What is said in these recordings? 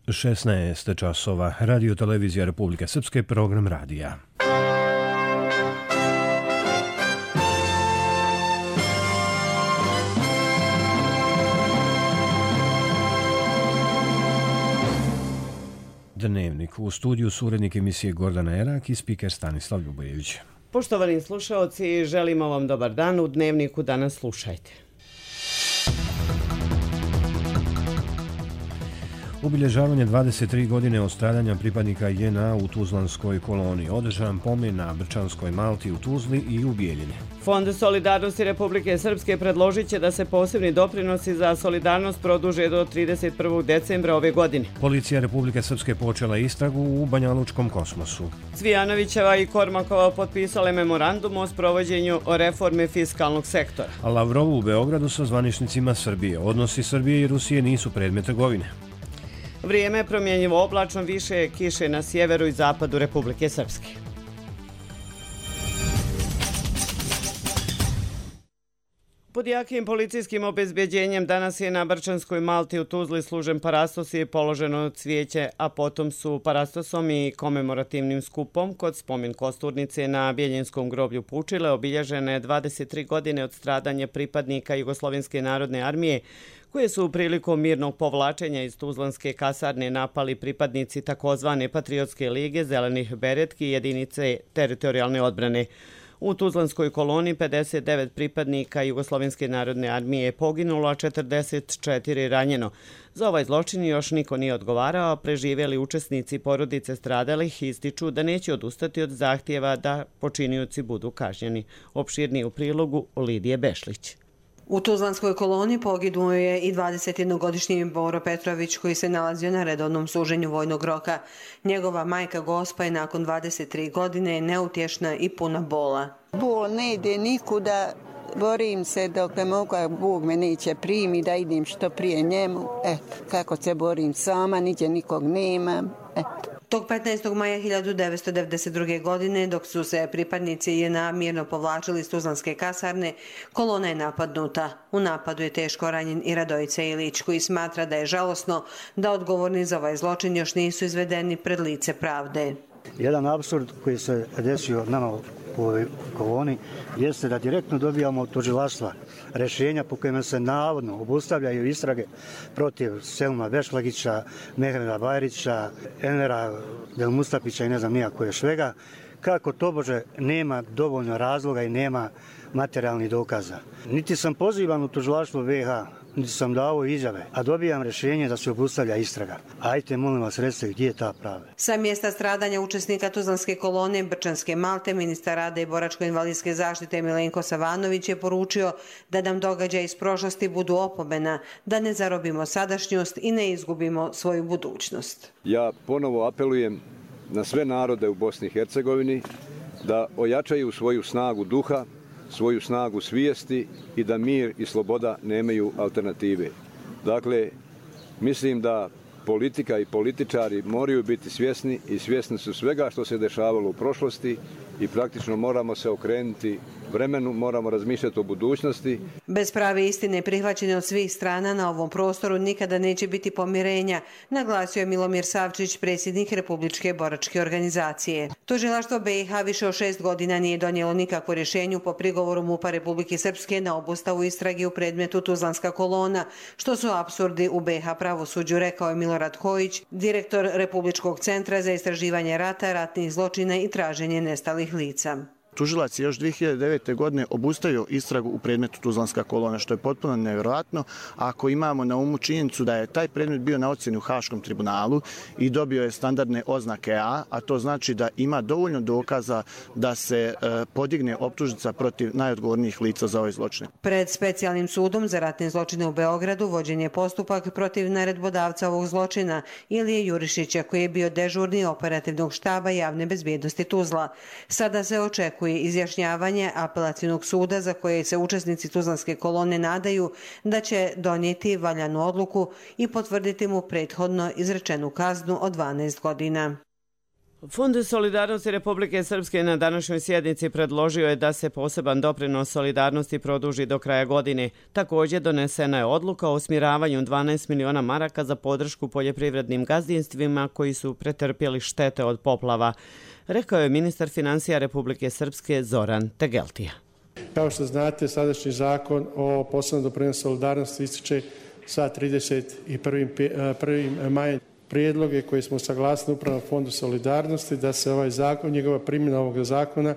16 časova. Radio Televizija Republike Srpske, program radija. Dnevnik. U studiju su urednik emisije Gordana Erak i spiker Stanislav Ljubojević. Poštovani slušaoci, želimo vam dobar dan. U Dnevniku danas slušajte. Obilježavanje 23 godine od stradanja pripadnika JNA u Tuzlanskoj koloniji. Održan pomen na Brčanskoj Malti u Tuzli i u Bijeljini. Fond solidarnosti Republike Srpske predložit će da se posebni doprinosi za solidarnost produže do 31. decembra ove godine. Policija Republike Srpske počela istragu u Banjalučkom kosmosu. Cvijanovićeva i Kormakova potpisale memorandum o sprovođenju reforme fiskalnog sektora. A Lavrov u Beogradu sa zvaničnicima Srbije. Odnosi Srbije i Rusije nisu predmet trgovine. Vrijeme je promjenjivo oblačno, više kiše na sjeveru i zapadu Republike Srpske. Pod jakim policijskim obezbeđenjem danas je na Brčanskoj Malti u Tuzli služen parastos i položeno cvijeće, a potom su parastosom i komemorativnim skupom kod spomen kosturnice na Bjeljinskom groblju Pučile obilježene 23 godine od stradanja pripadnika Jugoslovenske narodne armije koje su prilikom mirnog povlačenja iz Tuzlanske kasarne napali pripadnici takozvane Patriotske lige, Zelenih beretki i jedinice teritorijalne odbrane. U Tuzlanskoj koloniji 59 pripadnika Jugoslovenske narodne armije je poginulo, a 44 ranjeno. Za ovaj zločin još niko nije odgovarao, a preživjeli učesnici porodice stradalih ističu da neće odustati od zahtjeva da počinioci budu kažnjeni. Opširniji u prilogu Lidije Bešlić. U Tuzlanskoj koloniji poginuo je i 21-godišnji Boro Petrović koji se nalazio na redovnom služenju vojnog roka. Njegova majka Gospa je nakon 23 godine neutješna i puna bola. Bol ne ide nikuda, borim se dok ne mogu, Bog me neće primi da idem što prije njemu. Kako se borim sama, niđe nikog nemam. Tog 15. maja 1992. godine, dok su se pripadnici JNA mirno povlačili iz Tuzlanske kasarne, kolona je napadnuta. U napadu je teško ranjen i Radojica Ilić, koji smatra da je žalosno da odgovorni za ovaj zločin još nisu izvedeni pred lice pravde. Jedan apsurd koji se desio nama u ovoj koloni jeste da direktno dobijamo od tužilaštva rješenja po kojima se navodno obustavljaju istrage protiv Selma Bešlagića, Mehreda Bajrića, Envera Del Mustapića i ne znam nija koje svega, kako tobože nema dovoljno razloga i nema materijalnih dokaza. Niti sam pozivan u tužilaštvo BiH, niti sam dao izjave, a dobijam rješenje da se obustavlja istraga. Ajte, molim vas, recite gdje je ta pravda. Sa mjesta stradanja učesnika Tuzlanske kolone Brčanske Malte, ministar rada i boračko-invalidske zaštite Milenko Savanović je poručio da nam događaji iz prošlosti budu opomena, da ne zarobimo sadašnjost i ne izgubimo svoju budućnost. Ja ponovo apelujem na sve narode u Bosni i Hercegovini da ojačaju svoju snagu duha, svoju snagu svijesti i da mir i sloboda nemaju alternative. Dakle, mislim da politika i političari moraju biti svjesni i svjesni su svega što se dešavalo u prošlosti i praktično moramo se okrenuti vremenu, moramo razmišljati o budućnosti. Bez prave istine prihvaćene od svih strana na ovom prostoru nikada neće biti pomirenja, naglasio je Milomir Savčić, predsjednik Republičke boračke organizacije. Tužilaštvo BiH više od 6 godina nije donijelo nikakvo rješenje po prigovoru MUP-a Republike Srpske na obustavu istrage u predmetu Tuzlanska kolona, što su apsurdi u BiH pravosuđu, rekao je Milorad Hojić, direktor Republičkog centra za istraživanje rata, ratnih zločina i traženje nestalih lica. Tužilac je još 2009. godine obustavio istragu u predmetu Tuzlanska kolona, što je potpuno nevjerojatno ako imamo na umu činjenicu da je taj predmet bio na ocjeni u Haškom tribunalu i dobio je standardne oznake a to znači da ima dovoljno dokaza da se podigne optužnica protiv najodgovornijih lica za ovaj zločin. Pred specijalnim sudom za ratne zločine u Beogradu vođen je postupak protiv naredbodavca ovog zločina Ilije Jurišića, koji je bio dežurni operativnog štaba javne bezbjednosti Tuzla. Sada se očekuje izjašnjavanje apelacionog suda za koje se učesnici Tuzlanske kolone nadaju da će donijeti valjanu odluku i potvrditi mu prethodno izrečenu kaznu od 12 godina. Fond solidarnosti Republike Srpske na današnjoj sjednici predložio je da se poseban doprinos solidarnosti produži do kraja godine. Također donesena je odluka o usmjeravanju 12 miliona maraka za podršku poljoprivrednim gazdinstvima koji su pretrpjeli štete od poplava, rekao je ministar financija Republike Srpske Zoran Tegeltija. Kao što znate, sadašnji zakon o posebnom doprinosu solidarnosti ističe sa 31. majem. Prijedloge koje smo saglasili Upravnom fondu solidarnosti da se ovaj zakon, njegova primjena ovog zakona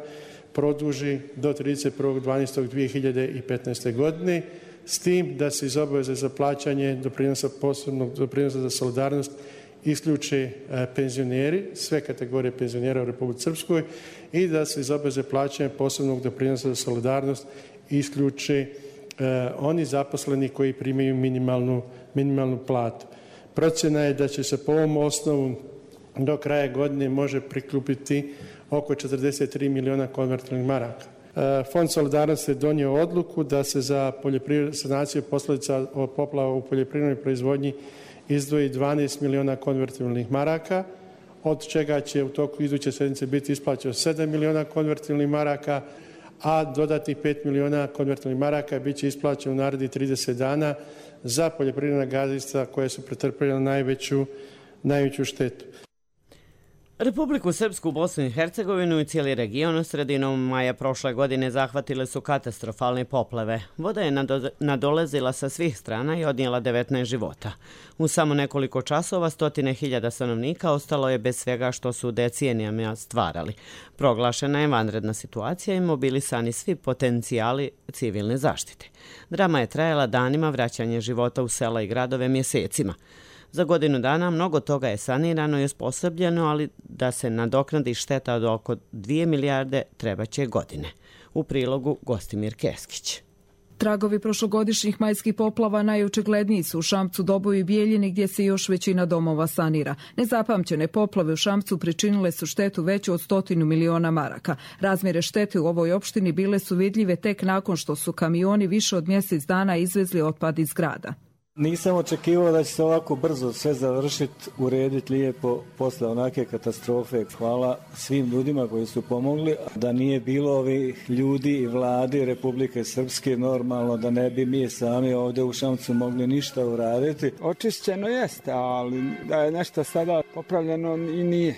produži do 31.12.2015. godine, s tim da se iz obaveze za plaćanje posebnog doprinosa za solidarnost isključe penzioneri, sve kategorije penzionera u Republici Srpskoj i da se iz obaveze plaćanja posebnog doprinosa za solidarnost isključe oni zaposleni koji primaju minimalnu platu. Procjena je da će se po ovom osnovu do kraja godine može prikupiti oko 43 miliona konvertibilnih maraka. Fond solidarnosti je donio odluku da se za sanaciju posljedica od poplava u poljoprivrednoj proizvodnji izdvoji 12 miliona konvertibilnih maraka, od čega će u toku iduće sedmice biti isplaćeno 7 miliona konvertibilnih maraka, a dodatnih 5 miliona konvertibilnih maraka bit će isplaćeno u narednih 30 dana za poljoprivredna gazdinstva koje su pretrpjela najveću štetu. Republiku Srpsku, Bosnu i Hercegovinu i cijeli region sredinom maja prošle godine zahvatile su katastrofalne poplave. Voda je nadolazila sa svih strana i odnijela 19 života. U samo nekoliko časova 100.000 stanovnika ostalo je bez svega što su decenijama stvarali. Proglašena je vanredna situacija i mobilisani svi potencijali civilne zaštite. Drama je trajala danima, vraćanje života u sela i gradove mjesecima. Za godinu dana mnogo toga je sanirano i osposobljeno, ali da se nadoknadi šteta od oko 2 milijarde trebaće godine. U prilogu Gostimir Keskić. Tragovi prošlogodišnjih majskih poplava najočigledniji su u Šamcu, Doboju i Bijeljini gdje se još većina domova sanira. Nezapamćene poplave u Šamcu pričinile su štetu veću od 100 miliona maraka. Razmjere štete u ovoj opštini bile su vidljive tek nakon što su kamioni više od mjesec dana izvezli otpad iz grada. Nisam očekivao da će se ovako brzo sve završiti, urediti lijepo posle onake katastrofe. Hvala svim ljudima koji su pomogli. Da nije bilo ovih ljudi i vladi Republike Srpske, normalno da ne bi mi sami ovdje u Šamcu mogli ništa uraditi. Očišćeno jeste, ali da je nešto sada popravljeno i nije.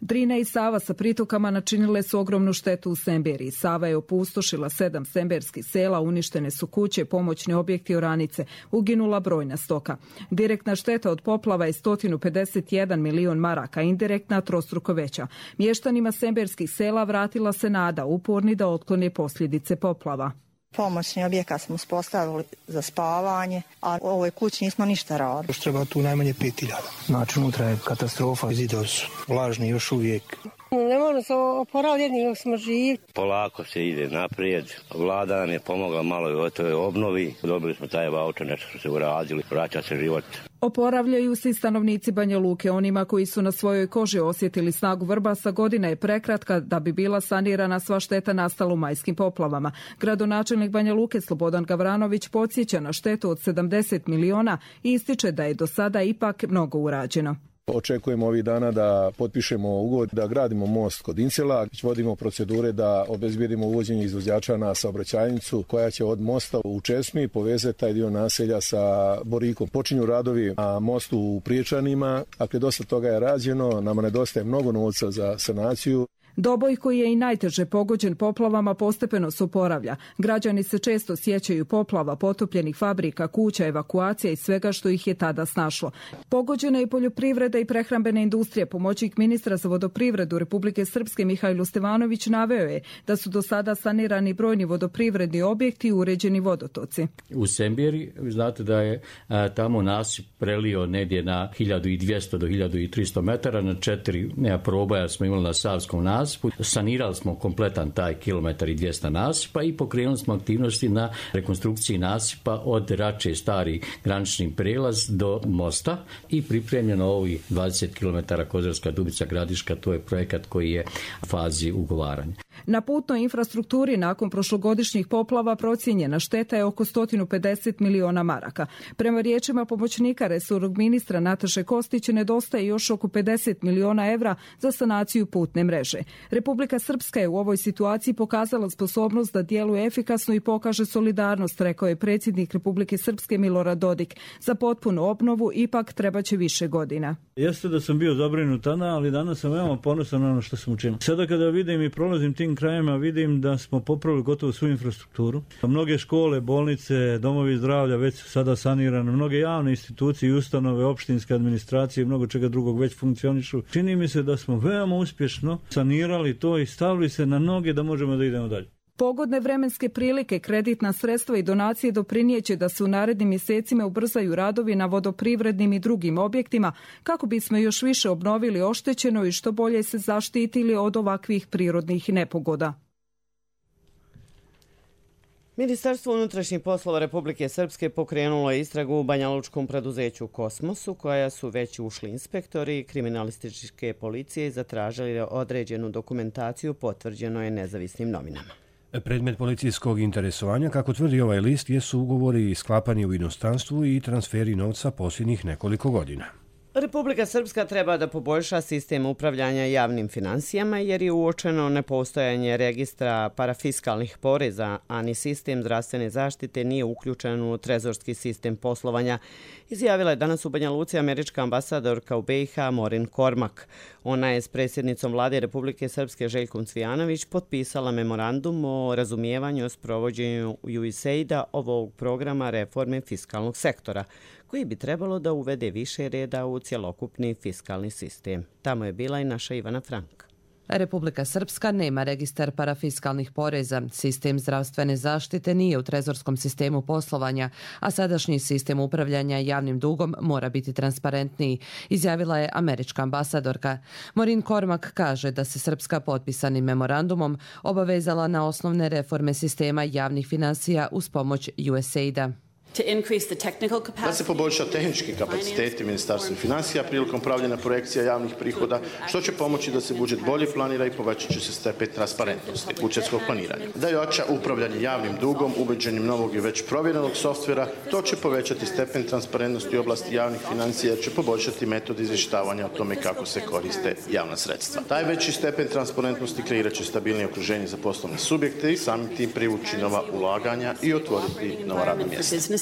Drina i Sava sa pritokama načinile su ogromnu štetu u Semberiji. Sava je opustošila 7 semberskih sela, uništene su kuće, pomoćni objekti, oranice, uginula brojna stoka. Direktna šteta od poplava je 151 milion maraka, indirektna trostruko veća. Mještanima semberskih sela vratila se nada, uporni da otklone posljedice poplava. Pomoćni objekat smo uspostavili za spavanje, a u ovoj kući nismo ništa radili. Još treba tu najmanje 5.000. Znači unutra je katastrofa, zidovi su vlažni još uvijek. Ne možemo se oporaviti jedni dok smo živi. Polako se ide naprijed. Vlada nam je pomogla malo i o toj obnovi. Dobili smo taj vaučer, nešto su se uradili, vraća se život. Oporavljaju se i stanovnici Banja Luke. Onima koji su na svojoj koži osjetili snagu vrbasa, godina je prekratka da bi bila sanirana sva šteta nastala u majskim poplavama. Gradonačelnik Banja Luke Slobodan Gavranović podsjeća na štetu od 70 miliona i ističe da je do sada ipak mnogo urađeno. Očekujemo ovih dana da potpišemo ugovor, da gradimo most kod Incela, vodimo procedure da obezbijedimo uvođenje izvođača na saobraćajnicu koja će od mosta u Česmi povezati taj dio naselja sa Borikom. Počinju radovi na mostu u Priječanima, dakle dosta toga je rađeno, nama nedostaje mnogo novca za sanaciju. Doboj, koji je i najteže pogođen poplavama, postepeno se oporavlja. Građani se često sjećaju poplava, potopljenih fabrika, kuća, evakuacija i svega što ih je tada snašlo. Pogođena je poljoprivreda i prehrambena industrija. Pomoćnik ministra za vodoprivredu Republike Srpske Mihajlo Stevanović naveo je da su do sada sanirani brojni vodoprivredni objekti i uređeni vodotoci. U Semberi, znate da je tamo nasip prelio negdje na 1200 do 1300 metara, na 4 probaja smo imali na Savskom nasipu. Sanirali smo kompletan taj kilometar i 200 nasipa i pokrenuli smo aktivnosti na rekonstrukciji nasipa od Rače stari granični prelaz do mosta i pripremljeno ovih 20 km Kozarska Dubica Gradiška, to je projekat koji je u fazi ugovaranja. Na putnoj infrastrukturi nakon prošlogodišnjih poplava procijenjena šteta je oko 150 miliona maraka. Prema riječima pomoćnika resornog ministra Nataše Kostić nedostaje još oko 50 miliona evra za sanaciju putne mreže. Republika Srpska je u ovoj situaciji pokazala sposobnost da djeluje efikasno i pokaže solidarnost, rekao je predsjednik Republike Srpske Milorad Dodik. Za potpunu obnovu ipak trebaće više godina. Jeste da sam bio zabrinut tada, ali danas sam veoma ponosan na ono što sam učinio. Sada kada vidim i prolazim tim krajima, vidim da smo popravili gotovo svu infrastrukturu. Mnoge škole, bolnice, domovi zdravlja već su sada sanirane, mnoge javne institucije i ustanove, opštinske administracije i mnogo čega drugog već funkcionišu. Čini mi se da smo veoma uspješno sanirali to i stavili se na noge da možemo da idemo dalje. Pogodne vremenske prilike, kreditna sredstva i donacije doprinijeće da se u narednim mjesecima ubrzaju radovi na vodoprivrednim i drugim objektima kako bismo još više obnovili oštećeno i što bolje se zaštitili od ovakvih prirodnih nepogoda. Ministarstvo unutrašnjih poslova Republike Srpske pokrenulo je istragu u banjalučkom preduzeću Kosmosu, koja su već ušli inspektori kriminalističke policije i zatražili određenu dokumentaciju, potvrđeno je nezavisnim novinama. Predmet policijskog interesovanja, kako tvrdi ovaj list, jesu ugovori sklapani u inostranstvu i transferi novca posljednjih nekoliko godina. Republika Srpska treba da poboljša sistem upravljanja javnim finansijama jer je uočeno nepostojanje registra parafiskalnih poreza, a ni sistem zdravstvene zaštite nije uključen u trezorski sistem poslovanja, izjavila je danas u Banja Luci američka ambasadorka u BiH Morin Kormak. Ona je s predsjednicom vlade Republike Srpske Željkom Cvijanović potpisala memorandum o razumijevanju o sprovođenju USAID-a ovog programa reforme fiskalnog sektora, koji bi trebalo da uvede više reda u cjelokupni fiskalni sistem. Tamo je bila i naša Ivana Frank. Republika Srpska nema registar parafiskalnih poreza, sistem zdravstvene zaštite nije u trezorskom sistemu poslovanja, a sadašnji sistem upravljanja javnim dugom mora biti transparentniji, izjavila je američka ambasadorka. Morin Kormak kaže da se Srpska potpisanim memorandumom obavezala na osnovne reforme sistema javnih finansija uz pomoć USAID-a. Da se poboljša tehnički kapaciteti Ministarstva financija prilikom pravljenja projekcija javnih prihoda, što će pomoći da se budžet bolje planira i povećat će se stepen transparentnosti budžetskog planiranja. Da jača upravljanje javnim dugom uvođenjem novog i već provjerenog softvera, to će povećati stepen transparentnosti u oblasti javnih financija, će poboljšati metod izvještavanja o tome kako se koriste javna sredstva. Taj veći stepen transparentnosti kreirat će stabilnije okruženje za poslovne subjekte i samim tim privući nova ulaganja i otvoriti nova radna mjesta.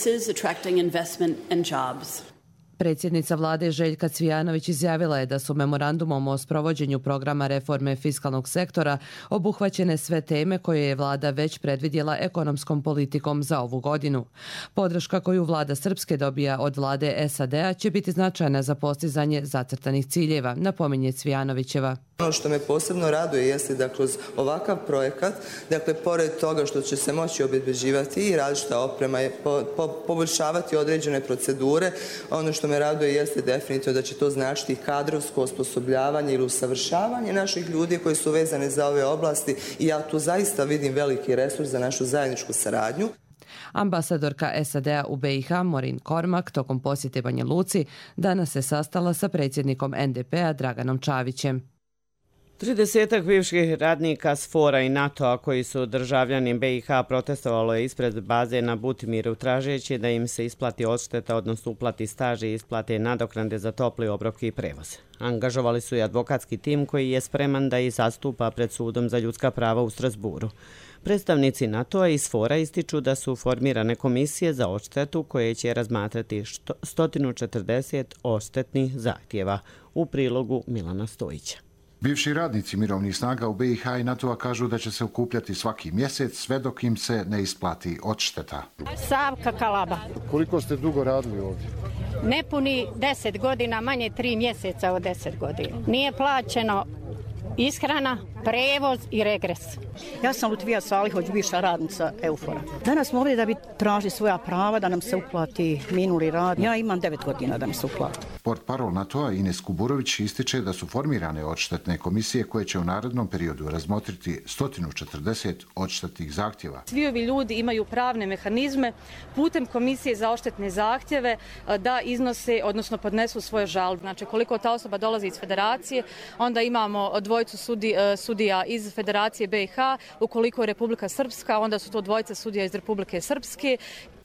Predsjednica vlade Željka Cvijanović izjavila je da su memorandumom o sprovođenju programa reforme fiskalnog sektora obuhvaćene sve teme koje je vlada već predvidjela ekonomskom politikom za ovu godinu. Podrška koju vlada Srpske dobija od vlade SAD-a će biti značajna za postizanje zacrtanih ciljeva, napominje Cvijanovićeva. Ono što me posebno raduje jeste da kroz ovakav projekat, dakle, pored toga što će se moći obezbeđivati i različita oprema, poboljšavati određene procedure, ono što me raduje jeste definitivno da će to značiti kadrovsko osposobljavanje ili usavršavanje naših ljudi koji su vezane za ove oblasti i ja tu zaista vidim veliki resurs za našu zajedničku saradnju. Ambasadorka SAD-a u BiH Morin Kormak tokom posjete Banja Luci danas se sastala sa predsjednikom NDP-a Draganom Čavićem. 30 bivših radnika SFOR-a i NATO-a koji su državljani BiH protestovalo je ispred baze na Butimiru tražeći da im se isplati odšteta, odnosno uplati staž i isplate nadoknade za topli obrok i prevoz. Angažovali su i advokatski tim koji je spreman da ih zastupa pred sudom za ljudska prava u Strasburu. Predstavnici NATO-a i SFOR-a ističu da su formirane komisije za odštetu koje će razmatrati 140 odštetnih zahtjeva. U prilogu Milana Stojića. Bivši radnici mirovnih snaga u BiH i NATO-a kažu da će se okupljati svaki mjesec sve dok im se ne isplati odšteta. Savka Kalaba. Koliko ste dugo radili ovdje? Nepuni 10 godina, manje 3 mjeseca od 10 godina. Nije plaćeno ishrana, prevoz i regres. Ja sam Lutvija Salihoć, bivša radnica EUFOR-a. Danas smo ovdje da bi tražili svoja prava, da nam se uplati minuli rad. Ja imam 9 godina da mi se uplati. Portparol NATO-a Ines Kuburović ističe da su formirane odštetne komisije koje će u narednom periodu razmotriti 140 odštetnih zahtjeva. Svi ovi ljudi imaju pravne mehanizme putem komisije za odštetne zahtjeve da iznose, odnosno podnesu svoje žalbe. Znači koliko ta osoba dolazi iz federacije, onda imamo dvojicu dvojicu sudija iz Federacije BiH, ukoliko je Republika Srpska, onda su to dvojica sudija iz Republike Srpske.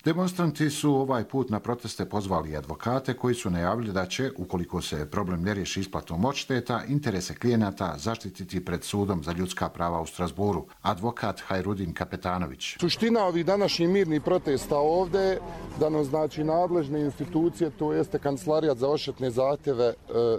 Demonstranti su ovaj put na proteste pozvali advokate koji su najavili da će, ukoliko se problem ne riješi isplatom odšteta, interese klijenata zaštititi pred sudom za ljudska prava u Strasburu. Advokat Hajrudin Kapetanović. Suština ovih današnjih mirnih protesta ovdje da nam znači nadležne institucije, to jeste Kancelarijat za odštetne zahtjeve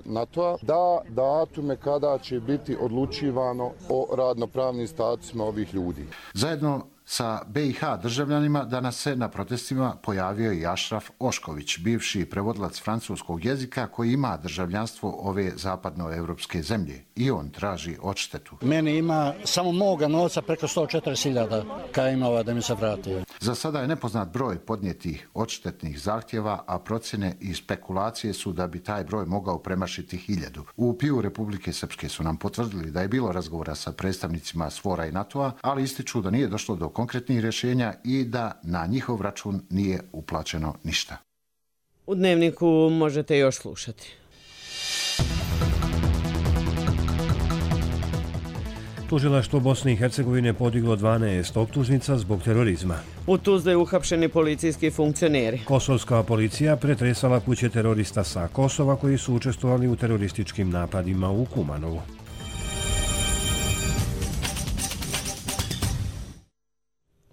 NATO-a, da datume kada će biti odlučivano o radnopravnim statusima ovih ljudi. Zajedno sa BiH državljanima danas se na protestima pojavio i Ašraf Ošković, bivši prevodilac francuskog jezika koji ima državljanstvo ove zapadnoevropske zemlje. I on traži odštetu. Meni ima samo moga novca preko 140.000 kada ima da mi se vrati. Za sada je nepoznat broj podnijetih odštetnih zahtjeva, a procjene i spekulacije su da bi taj broj mogao premašiti 1000. U PIU Republike Srpske su nam potvrdili da je bilo razgovora sa predstavnicima SFOR-a i NATO-a, ali ističu da nije došlo do konkretnih rješenja i da na njihov račun nije uplaćeno ništa. U Dnevniku možete još slušati. Tužilaštvo Bosne i Hercegovine podiglo 12 optužnica zbog terorizma. U Tuzli uhapšeni policijski funkcioneri. Kosovska policija pretresala kuće terorista sa Kosova koji su učestvovali u terorističkim napadima u Kumanovu.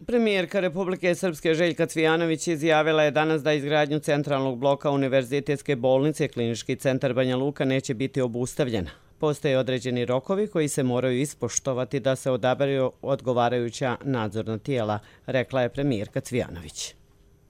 Premijerka Republike Srpske Željka Cvijanović izjavila je danas da izgradnju centralnog bloka Univerzitetske bolnice Klinički centar Banja Luka neće biti obustavljena. Postoje određeni rokovi koji se moraju ispoštovati da se odaberu odgovarajuća nadzorna tijela, rekla je premijerka Cvijanović.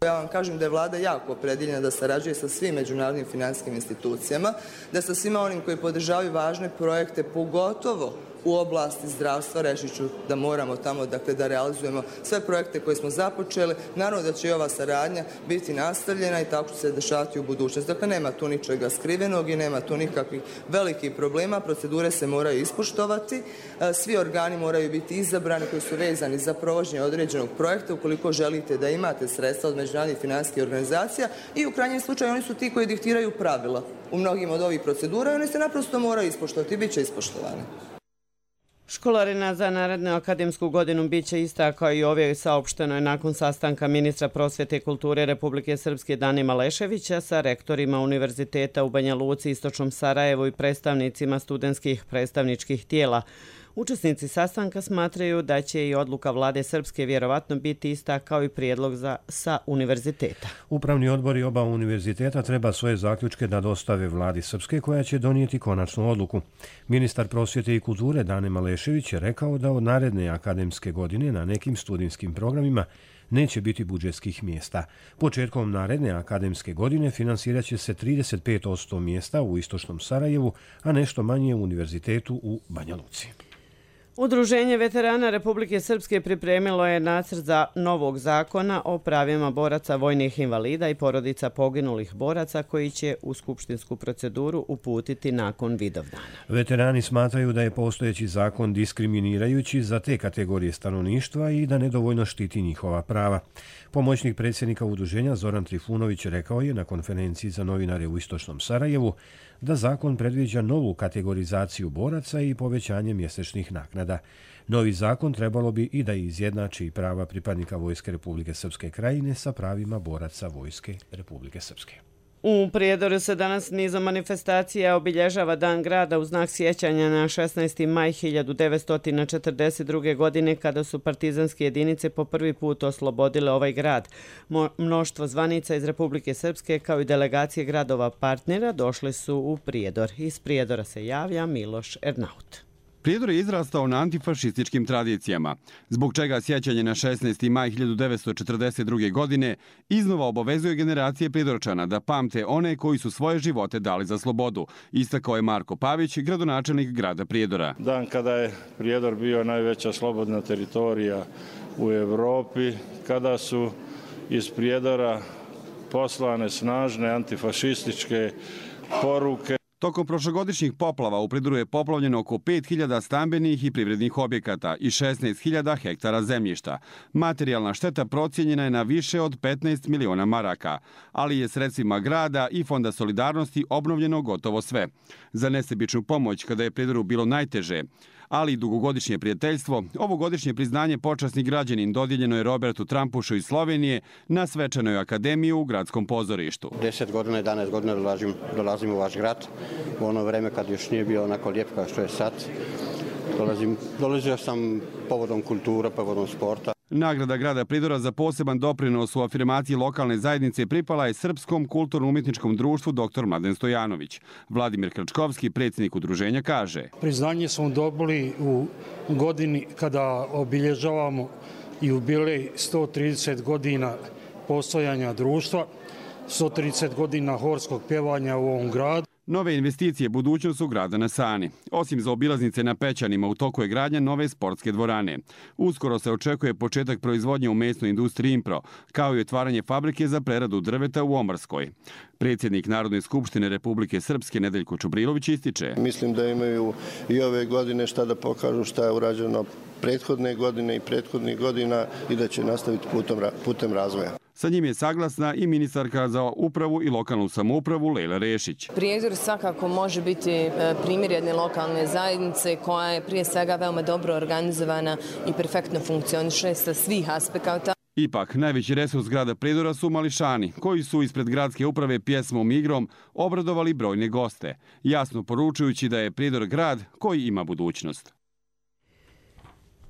Ja vam kažem da je vlada jako opredjeljena da sarađuje sa svim međunarodnim financijskim institucijama, da sa svima onim koji podržavaju važne projekte, pogotovo u oblasti zdravstva, reći ću da moramo tamo da realizujemo sve projekte koje smo započeli. Naravno da će i ova saradnja biti nastavljena i tako će se dešavati u budućnosti. Dakle, nema tu ničega skrivenog i nema tu nikakvih velikih problema. Procedure se moraju ispoštovati. Svi organi moraju biti izabrani koji su vezani za provođenje određenog projekta ukoliko želite da imate sredstva od međunarodnih financijskih organizacija i u krajnjem slučaju oni su ti koji diktiraju pravila u mnogim od ovih procedura i oni se naprosto moraju ispoštovati i bit će ispoštovane. Školarina za narednu akademsku godinu biće ista kao i ove, saopšteno je nakon sastanka ministra prosvjete i kulture Republike Srpske Dane Maleševića sa rektorima univerziteta u Banja Luci, Istočnom Sarajevu i predstavnicima studentskih predstavničkih tijela. Učesnici sastanka smatraju da će i odluka vlade Srpske vjerovatno biti ista kao i prijedlog sa univerziteta. Upravni odbori oba univerziteta treba svoje zaključke da dostave vladi Srpske koja će donijeti konačnu odluku. Ministar prosvjete i kulture Dane Malešević je rekao da od naredne akademske godine na nekim studijskim programima neće biti budžetskih mjesta. Početkom naredne akademske godine finansirat će se 35% mjesta u Istočnom Sarajevu, a nešto manje u univerzitetu u Banja Luci. Udruženje veterana Republike Srpske pripremilo je nacrt za novog zakona o pravima boraca, vojnih invalida i porodica poginulih boraca koji će u skupštinsku proceduru uputiti nakon Vidovdana. Veterani smatraju da je postojeći zakon diskriminirajući za te kategorije stanovništva i da nedovoljno štiti njihova prava. Pomoćnik predsjednika udruženja Zoran Trifunović rekao je na konferenciji za novinare u Istočnom Sarajevu da zakon predviđa novu kategorizaciju boraca i povećanje mjesečnih naknada. Novi zakon trebalo bi i da izjednači prava pripadnika Vojske Republike Srpske Krajine sa pravima boraca Vojske Republike Srpske. U Prijedoru se danas nizom manifestacija obilježava Dan grada u znak sjećanja na 16. maj 1942. godine kada su partizanske jedinice po prvi put oslobodile ovaj grad. Mnoštvo zvanica iz Republike Srpske kao i delegacije gradova partnera došli su u Prijedor. Iz Prijedora se javlja Miloš Ernaut. Prijedor je izrastao na antifašističkim tradicijama, zbog čega sjećanje na 16. maj 1942. godine iznova obavezuje generacije Prijedorčana da pamte one koji su svoje živote dali za slobodu, istakao je Marko Pavić, gradonačelnik grada Prijedora. Dan kada je Prijedor bio najveća slobodna teritorija u Evropi, kada su iz Prijedora poslane snažne antifašističke poruke. Tokom prošlogodišnjih poplava u Prijedoru je poplavljeno oko 5000 stambenih i privrednih objekata i 16.000 hektara zemljišta. Materijalna šteta procijenjena je na više od 15 miliona maraka, ali je sredstvima grada i Fonda solidarnosti obnovljeno gotovo sve. Za nesebičnu pomoć kada je Prijedoru bilo najteže, ali i dugogodišnje prijateljstvo, ovogodišnje priznanje počasni građanin dodijeljeno je Robertu Trampušu iz Slovenije na svečanoj akademiji u gradskom pozorištu. 10 godina, 11 godina dolazim u vaš grad, u ono vreme kad još nije bio onako lijep kao što je sad. Dolazio sam povodom kulture, povodom sporta. Nagrada grada Prijedora za poseban doprinos u afirmaciji lokalne zajednice pripala je Srpskom kulturno-umjetničkom društvu dr. Mladen Stojanović. Vladimir Krčkovski, predsjednik udruženja, kaže: Priznanje smo dobili u godini kada obilježavamo jubilej 130 godina postojanja društva, 130 godina horskog pjevanja u ovom gradu. Nove investicije budućnost su grada na Sani. Osim za obilaznice na Pećanima, u toku je gradnja nove sportske dvorane. Uskoro se očekuje početak proizvodnje u mesnoj industriji Impro, kao i otvaranje fabrike za preradu drveta u Ombarskoj. Predsjednik Narodne skupštine Republike Srpske Nedeljko Čubrilović ističe: Mislim da imaju i ove godine šta da pokažu šta je urađeno prethodne godine i prethodnih godina i da će nastaviti putem razvoja. Sa njim je saglasna i ministarka za upravu i lokalnu samoupravu Lejla Rešić. Prijedor svakako može biti primjer jedne lokalne zajednice koja je prije svega veoma dobro organizovana i perfektno funkcioniše sa svih aspekata. Ipak, najveći resurs grada Prijedora su mališani, koji su ispred gradske uprave pjesmom i igrom obradovali brojne goste, jasno poručujući da je Prijedor grad koji ima budućnost.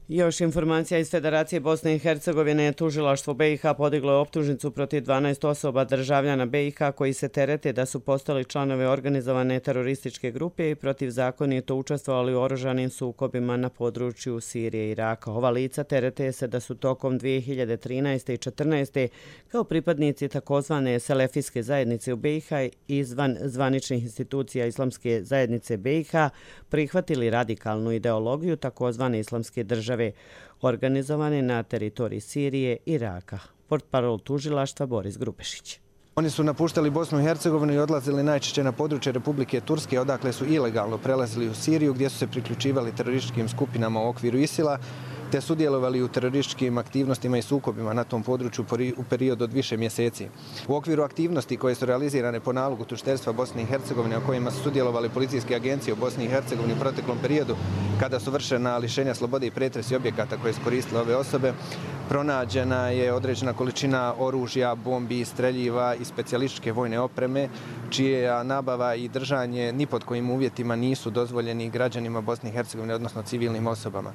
Još informacija iz Federacije Bosne i Hercegovine. Tužilaštvo BiH podiglo je optužnicu protiv 12 osoba državljana BiH koji se terete da su postali članovi organizovane terorističke grupe i protivzakonito učestvovali u oružanim sukobima na području Sirije i Iraka. Ova lica terete se da su tokom 2013. i 2014. kao pripadnici takozvane selefijske zajednice u BiH izvan zvaničnih institucija Islamske zajednice BiH prihvatili radikalnu ideologiju takozvane Islamske države organizovane na teritoriji Sirije i Iraka. Portparol tužilaštva Boris Grupešić. Oni su napuštali Bosnu i Hercegovinu i odlazili najčešće na područje Republike Turske, odakle su ilegalno prelazili u Siriju, gdje su se priključivali terorističkim skupinama u okviru ISIL-a, te sudjelovali u terorističkim aktivnostima i sukobima na tom području u periodu od više mjeseci. U okviru aktivnosti koje su realizirane po nalogu tužiteljstva Bosne i Hercegovine, o kojima su sudjelovali policijske agencije u Bosni i Hercegovini u proteklom periodu, kada su vršena lišenja slobode i pretresi objekata koje su koristile ove osobe, pronađena je određena količina oružja, bombi, streljiva i specijalističke vojne opreme, čija nabava i držanje ni pod kojim uvjetima nisu dozvoljeni građanima Bosne i Hercegovine, odnosno civilnim osobama.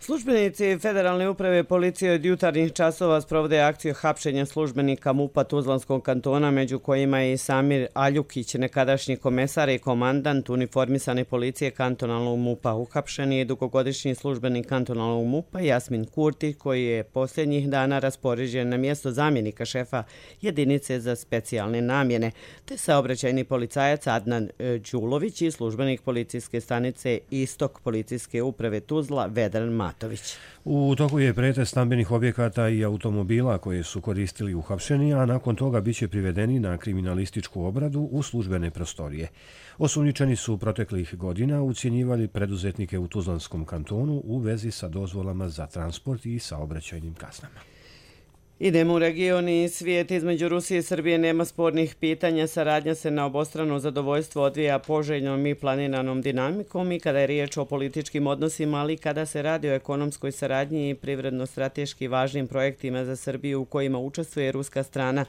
Službenici Federalne uprave policije od jutarnjih časova sprovode akciju hapšenja službenika MUP-a Tuzlanskog kantona, među kojima je i Samir Aljukić, nekadašnji komesar i komandant uniformisane policije kantonalnog MUP-a. Uhapšen je dugogodišnji službenik kantonalnog MUP-a Jasmin Kurti, koji je posljednjih dana raspoređen na mjesto zamjenika šefa jedinice za specijalne namjene, te saobraćajni policajac Adnan Đulović i službenik policijske stanice Istok policijske uprave Tuzla Vedran Matović. U toku je pretres stambenih objekata i automobila koje su koristili uhapšeni, a nakon toga biće privedeni na kriminalističku obradu u službene prostorije. Osumnjičeni su proteklih godina ucjenjivali preduzetnike u Tuzlanskom kantonu u vezi sa dozvolama za transport i saobraćajnim kaznama. Idemo u region i svijet. Između Rusije i Srbije nema spornih pitanja. Saradnja se na obostrano zadovoljstvo odvija poželjnom i planiranom dinamikom i kada je riječ o političkim odnosima, ali kada se radi o ekonomskoj saradnji i privredno-strateški važnim projektima za Srbiju u kojima učestvuje ruska strana.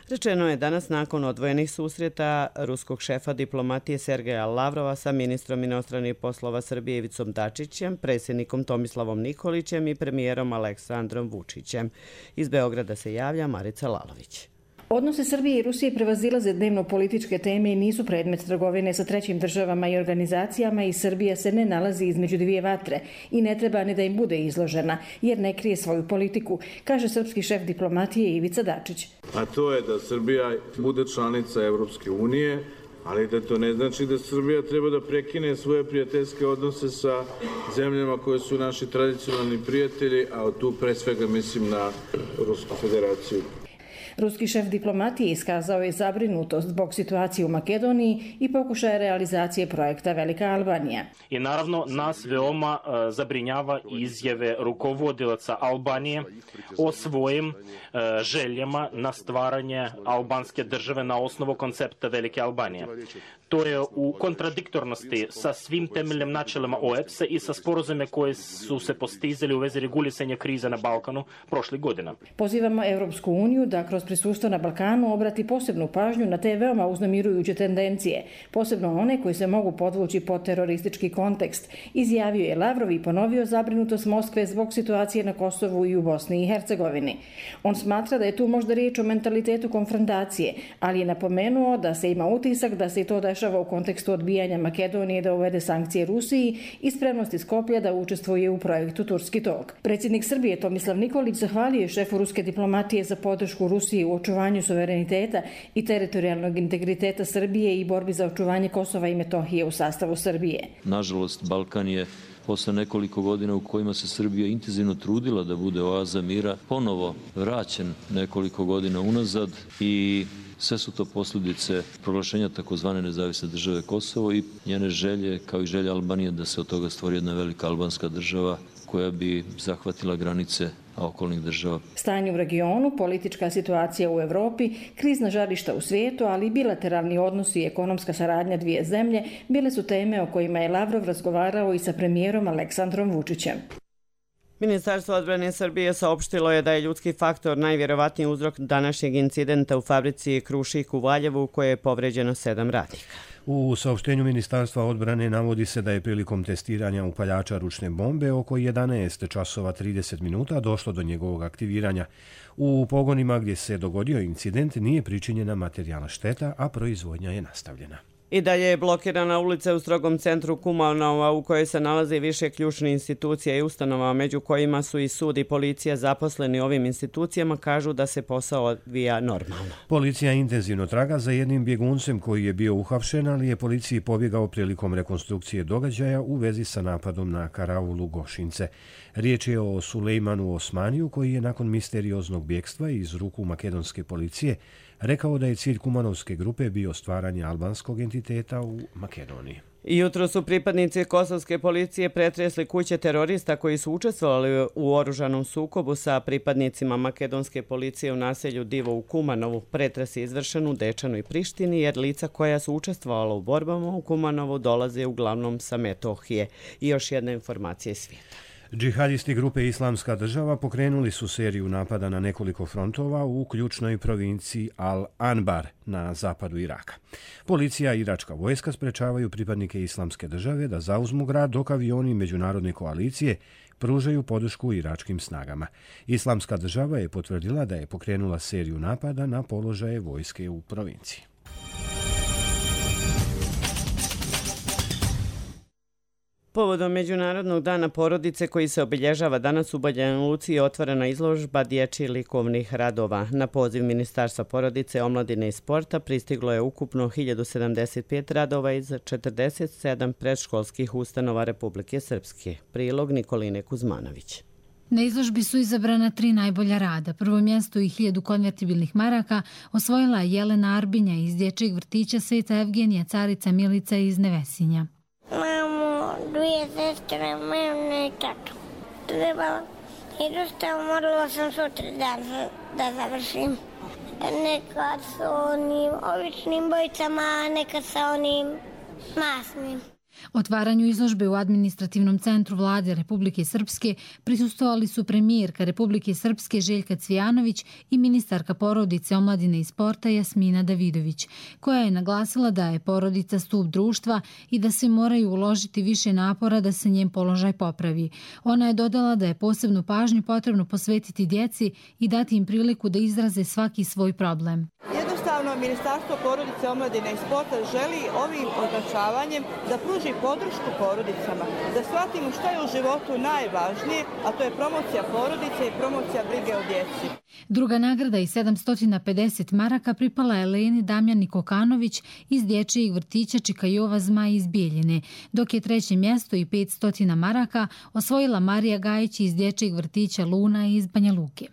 Rečeno je danas nakon odvojenih susreta ruskog šefa diplomatije Sergeja Lavrova sa ministrom inostranih poslova Srbije Ivicom Dačićem, predsjednikom Tomislavom Nikolićem i premijerom Aleksandrom Vučićem. Iz Beograda se javlja Marica Lalović. Odnose Srbije i Rusije prevazilaze dnevno političke teme i nisu predmet trgovine sa trećim državama i organizacijama i Srbija se ne nalazi između dvije vatre i ne treba ni da im bude izložena jer ne krije svoju politiku, kaže srpski šef diplomatije Ivica Dačić. A to je da Srbija bude članica Evropske unije, ali da to ne znači da Srbija treba da prekine svoje prijateljske odnose sa zemljama koje su naši tradicionalni prijatelji, a tu pre svega mislim na Rusku federaciju. Ruski šef diplomatije iskazao je zabrinutost zbog situacije u Makedoniji i pokušaja realizacije projekta Velika Albanija. I naravno nas veoma zabrinjava izjave rukovodilaca Albanije o svojim željama na stvaranje albanske države na osnovu koncepta Velike Albanije. To je u kontradiktornosti sa svim temeljnim načelima OEBS-a i sa sporazume koje su se postizali u vezi regulisanja krize na Balkanu prošlih godina. Pozivamo Europsku uniju da kroz prisustvo na Balkanu obrati posebnu pažnju na te veoma uznemirujuće tendencije, posebno one koji se mogu podvući pod teroristički kontekst, izjavio je Lavrov i ponovio zabrinutost Moskve zbog situacije na Kosovu i u Bosni i Hercegovini. On smatra da je tu možda riječ o mentalitetu konfrontacije, ali je napomenuo da se ima utisak da se i to dešava u kontekstu odbijanja Makedonije da uvede sankcije Rusiji i spremnosti Skoplja da učestvuje u projektu Turski tok. Predsjednik Srbije Tomislav Nikolić zahvalio je šefu ruske diplomatije za podršku Rusiji u očuvanju suvereniteta i teritorijalnog integriteta Srbije i borbi za očuvanje Kosova i Metohije u sastavu Srbije. Nažalost, Balkan je posle nekoliko godina u kojima se Srbija intenzivno trudila da bude oaza mira, ponovo vraćen nekoliko godina unazad i sve su to posljedice proglašenja takozvane nezavisne države Kosovo i njene želje, kao i želja Albanije, da se od toga stvori jedna velika albanska država koja bi zahvatila granice okolnih država. Stanje u regionu, politička situacija u Evropi, krizna žarišta u svijetu, ali i bilateralni odnosi i ekonomska saradnja dvije zemlje bile su teme o kojima je Lavrov razgovarao i sa premijerom Aleksandrom Vučićem. Ministarstvo odbrane Srbije saopštilo je da je ljudski faktor najvjerovatniji uzrok današnjeg incidenta u fabrici Krušik u Valjevu, koje je povređeno 7 radnika. U saopštenju Ministarstva odbrane navodi se da je prilikom testiranja upaljača ručne bombe oko 11 časova 30 minuta došlo do njegovog aktiviranja. U pogonima gdje se dogodio incident nije pričinjena materijalna šteta, a proizvodnja je nastavljena. I dalje je blokirana ulica u strogom centru Kumanova u kojoj se nalaze više ključnih institucija i ustanova, među kojima su i sud i policija. Zaposleni ovim institucijama kažu da se posao odvija normalno. Policija intenzivno traga za jednim bjeguncem koji je bio uhapšen, ali je policiji pobjegao prilikom rekonstrukcije događaja u vezi sa napadom na karavulu Gošince. Riječ je o Sulejmanu Osmaniju koji je nakon misterioznog bjegstva iz ruku makedonske policije rekao da je cilj kumanovske grupe bio stvaranje albanskog entiteta u Makedoniji. Jutro su pripadnici kosovske policije pretresli kuće terorista koji su učestvovali u oružanom sukobu sa pripadnicima makedonske policije u naselju Divo u Kumanovu. Pretres je izvršen u Dečanu i Prištini jer lica koja su učestvovala u borbama u Kumanovu dolaze uglavnom sa Metohije. I još jedna informacija iz svijeta. Džihadisti grupe Islamska država pokrenuli su seriju napada na nekoliko frontova u ključnoj provinciji Al-Anbar na zapadu Iraka. Policija i iračka vojska sprečavaju pripadnike Islamske države da zauzmu grad, dok avioni međunarodne koalicije pružaju podršku iračkim snagama. Islamska država je potvrdila da je pokrenula seriju napada na položaje vojske u provinciji. Povodom Međunarodnog dana porodice koji se obilježava danas u Banja Luci je otvorena izložba dječjih likovnih radova. Na poziv Ministarstva porodice, omladine i sporta pristiglo je ukupno 1075 radova iz 47 predškolskih ustanova Republike Srpske. Prilog Nikoline Kuzmanović. Na izložbi su izabrana 3 najbolja rada. Prvo mjesto i 1000 konvertibilnih maraka osvojila je Jelena Arbinja iz dječjeg vrtića Sveta Evgenija, Carica Milica iz Nevesinja. Mamo, 2 sestre, mene i tatu. Trebala i dosta morala sam sutra da završim. Nekad sa onim običnim bojicama, nekad sa onim masnim. Otvaranju izložbe u administrativnom centru Vlade Republike Srpske prisustvovali su premijerka Republike Srpske Željka Cvijanović i ministarka porodice, omladine i sporta Jasmina Davidović, koja je naglasila da je porodica stup društva i da se moraju uložiti više napora da se njen položaj popravi. Ona je dodala da je posebnu pažnju potrebno posvetiti djeci i dati im priliku da izraze svaki svoj problem. Jednostavno, Ministarstvo porodice, omladine i sporta želi ovim označavanjem da pruži podršku porodicama, da shvatimo šta je u životu najvažnije, a to je promocija porodice i promocija brige o djeci. Druga nagrada i 750 maraka pripala je Eleni Damjani Kokanović iz dječjeg vrtića Čikajova Zmaj iz Bijeljine, dok je treće mjesto i 500 maraka osvojila Marija Gajić iz dječjeg vrtića Luna iz Banja Luke.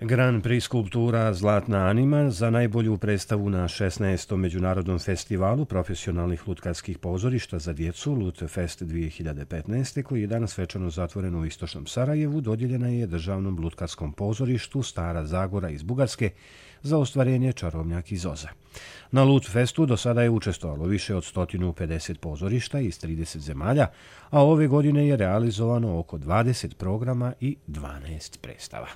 Grand Prix skulptura Zlatna anima za najbolju predstavu na 16. Međunarodnom festivalu profesionalnih lutkarskih pozorišta za djecu Lutfest 2015. koji je danas svečano zatvoren u istočnom Sarajevu, dodijeljena je Državnom lutkarskom pozorištu Stara Zagora iz Bugarske za ostvarenje Čarobnjak iz Oza. Na Lutfestu do sada je učestvovalo više od 150 pozorišta iz 30 zemalja, a ove godine je realizovano oko 20 programa i 12 predstava.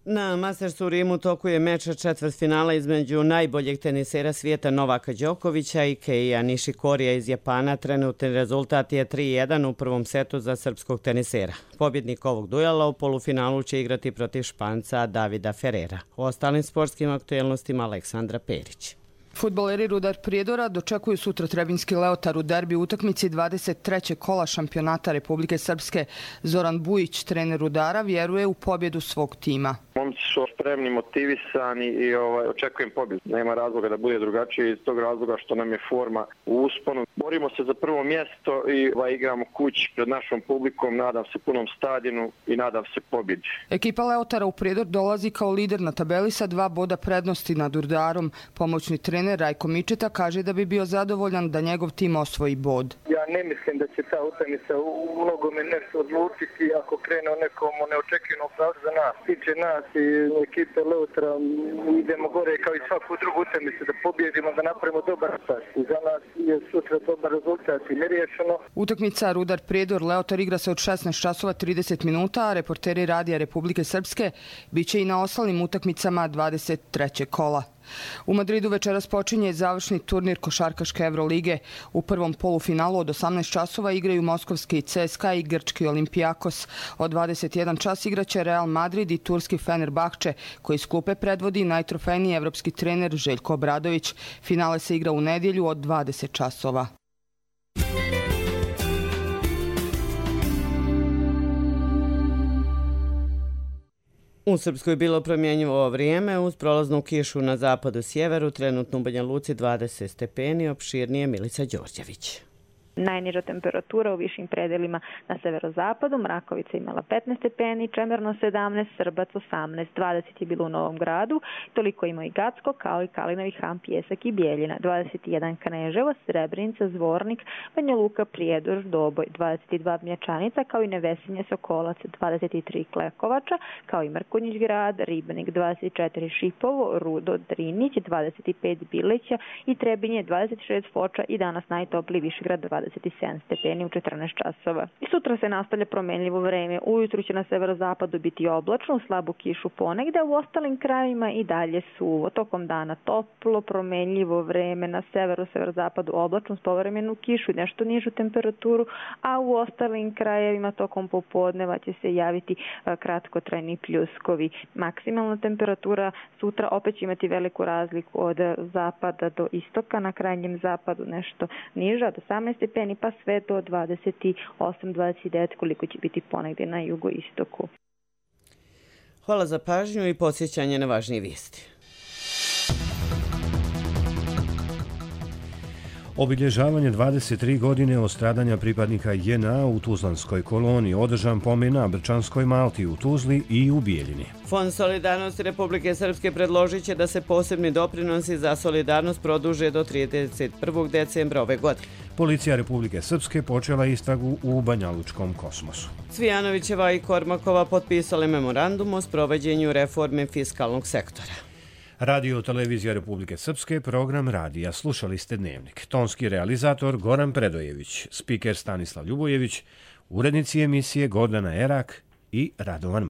Na Mastersu u Rimu tokuje meč četvrtfinala između najboljeg tenisera svijeta Novaka Đokovića i Keija Nishikorija iz Japana. Trenutni rezultat je 3:1 u prvom setu za srpskog tenisera. Pobjednik ovog duela u polufinalu će igrati protiv Španca Davida Ferrera. O ostalim sportskim aktuelnostima Aleksandra Perić. Fudbaleri Rudar Prijedora dočekuju sutra Trebinjski Leotar u derbi utakmici 23. kola šampionata Republike Srpske. Zoran Bujić, trener Rudara, vjeruje u pobjedu svog tima. Momci su spremni, motivisani i očekujem pobjedu. Nema razloga da bude drugačije iz tog razloga što nam je forma u usponu. Borimo se za prvo mjesto i igramo kući pred našom publikom, nadam se punom stadionu i nadam se pobjedi. Ekipa Leotara u Prijedor dolazi kao lider na tabeli sa 2 boda prednosti nad Rudarom. Pomoćni trener Rajko Mičeta kaže da bi bio zadovoljan da njegov tim osvoji bod. Ja ne mislim da će ta utakmica u mnogome nešto odlučiti ako krene o nekom neočekivanom pravcu za nas. Tiče nas i ekipe Leutara, idemo gore kao i svaku drugu utakmicu da pobjedimo, da napravimo dobar rezultat. I za nas je sutra dobar rezultat i neriješeno. Utakmica Rudar Prijedor Leotar igra se od 16 časova 30 minuta, a reporteri Radija Republike Srpske biće i na ostalim utakmicama 23. kola. U Madridu večeras počinje završni turnir košarkaške Evrolige. U prvom polufinalu od 18 časova igraju moskovski CSKA i grčki Olympiakos. Od 21 čas igraće Real Madrid i turski Fenerbahče, koji iz klupe predvodi najtrofejniji evropski trener Željko Obradović. Finale se igra u nedjelju od 20 časova. U Srpskoj je bilo promjenjivo vrijeme uz prolaznu kišu na zapadu sjeveru, trenutno u Banja Luci 20 stepeni, opširnije Milica Đorđević. Najniža temperatura u višim predelima na severozapadu, Mrakovica imala 15 stepeni, Čemerno 17, Srbac 18, 20 je bilo u Novom Gradu, toliko ima i Gacko, kao i Kalinovi Han, Pjesak i Bijeljina, 21 Kneževo, Srebrenica, Zvornik, Banja Luka, Prijedor, Doboj, 22 Mječanica, kao i Nevesinje, Sokolac, 23 Klekovača, kao i Mrkonjić grad, Ribnik, 24 Šipovo, Rudo, Drinić, 25 Bileća i Trebinje, 26 Foča i danas najtopliji Višegrad, 27 stepeni u 14 časova. I sutra se nastavlja promenljivo vreme. Ujutru će na severozapadu biti oblačno, u slabu kišu ponegde, a u ostalim krajevima i dalje suvo. Tokom dana toplo, promenljivo vreme, na severozapadu oblačno s povremenu kišu i nešto nižu temperaturu, a u ostalim krajevima tokom popodneva će se javiti kratkotrajni pljuskovi. Maksimalna temperatura sutra opet će imati veliku razliku od zapada do istoka, na krajnjem zapadu nešto niža, od 18 stepeni pa sve do 28-29 koliko će biti ponegdje na jugoistoku. Hvala za pažnju i podsjećanje na važnije vijesti. Obilježavanje 23 godine od stradanja pripadnika JNA u Tuzlanskoj koloniji, održan pomen na Brčanskoj Malti u Tuzli i u Bijeljini. Fond solidarnosti Republike Srpske predložit će da se posebni doprinosi za solidarnost produže do 31. decembra ove godine. Policija Republike Srpske počela istragu u Banjalučkom Kosmosu. Cvijanovićeva i Kormakova potpisali memorandum o sprovođenju reforme fiskalnog sektora. Radio Televizija Republike Srpske, program radija. Slušali ste Dnevnik. Tonski realizator Goran Predojević, spiker Stanislav Ljubojević, urednici emisije Gordana Erak i Radovan